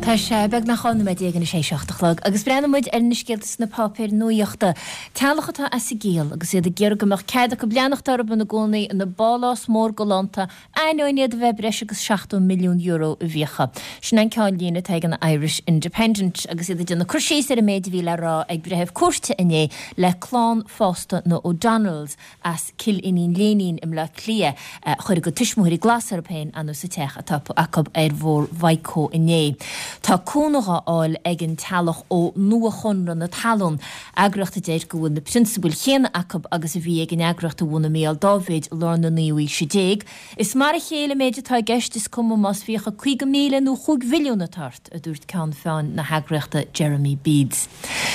Tá sé beagnach 12 nóiméad anois théis 7 a chlog agus breathnóidh muid ar na scéalta sna páipéir nuaíochta. Teaghlach atá as a gciall agus iad ag iarraidh go mbeadh cead acu leanacht orthu ina gcónaí ina bpálás mór galánta ainneoin iad a bheith breis agus €70 milliún i bhfiacha. Sin an ceannlíne atá ag an Irish Independent agus iad ag déanamh cur síos ar an méid a bhí le rá ag breitheamh cúirte inné le clann fásta na O'Donnells as Cill Iníon Léinín i mBleá Cliath a chuir a gcuid tuismitheoirí glas orthu féin anuas sa teach atá acu ar Bhóthar Mhaigh Eo inné. Tá cúnamh á fháil ag an teaghlach ó Nua-Chonradh na Talún, eagraíocht a deir go bhfuil na prionsabail chéanna acu agus a bhí ag an eagraíocht a bhunaigh Mícheál Dáibhéid i lár na naoú haoise déag. Is mar a chéile an méid atá i gceist, is cuma más fiacha 50,000 nó chúig mhilliún atá ort, a dúirt ceann feadhain na heagraíochta Jeremy Beades.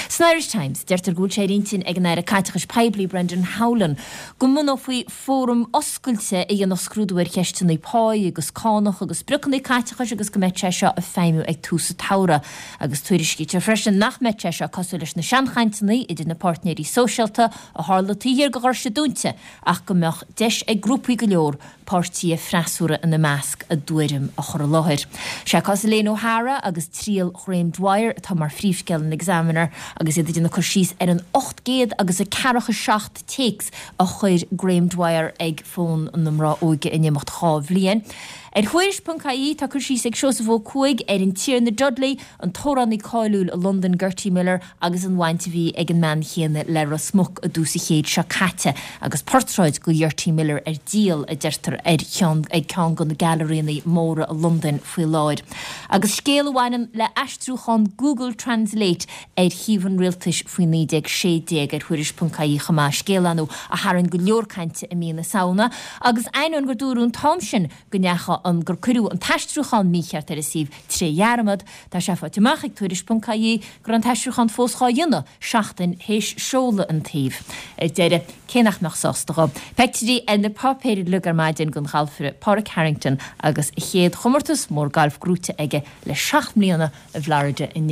San Irish Times, deirtear go bhfuil sé ar intinn ag an Aire Caiteachais Poiblí Brendan Howlin go mbunófaí fóram oscailte a dhéanfadh scrúdú ar cheisteanna páí agus cánach agus spriocanna caiteachais agus go mbeadh sé seo ag feidhmiú ag tús an tsamhraidh. Agus tuairiscítear freisin nach mbeadh sé seo cosúil leis na seanchainteanna idir na páirtnéirí sóisialta a tharla taobh thiar de dhoirse dúnta ach go mbeadh deis ag grúpaí go leor páirtithe freasúra ina measc, a dtuairim a chur i láthair. Sé cás Elaine O'Hara agus triail Ghraham Dwyer atá mar phríomhscéal an Examiner agus iad ag déanamh cur síos ar an 800 agus a ceathracha 7 téacs a chuir Graham Dwyer ag fón na mná óige in imeacht 2 bhliain. Ar Thuairisc.ie tá cur síos ag Seosamh Ó Cuaig ar an Tiarna Dudley, an t-amhránaí cáiliúil i Londain Gertie Miller agus an bhaint a bhí ag an mbean chéanna le Ros Muc i dtús an chéid seo caite agus portráid de Ghertie Miller ar díol, a deirtear, ar cheann ag ceann de na gailearaíanna móra i Londain faoi láthair. Agus scéal a bhaineann le aistriúchán Google Translate ar shuíomh an rialtais faoi 1916 ar Thuairisc.ie chomh maith, scéal ar ndóigh a tharraing go leor cainte i mí na Samhna agus ainneoin gur dúradh an t-am sin go ndeacha an gur cuireadh an t-aistriúchán mícheart ar an suíomh tré dhearmad, tá sé faighte amach ag Tuairisc.ie go raibh an t-aistriúchán fós dhá dhéanamh seachtain théis seoladh an tsuímh. Ar deireadh, cé nach mbeadh sásta dhó? Pictiúirí ar na páipéir uilig ar maidin den ghalfaire Pádraig Harrington agus a chéad chomórtas mór gailf gnóite aige le 7 mbliana i bhFlorida inné.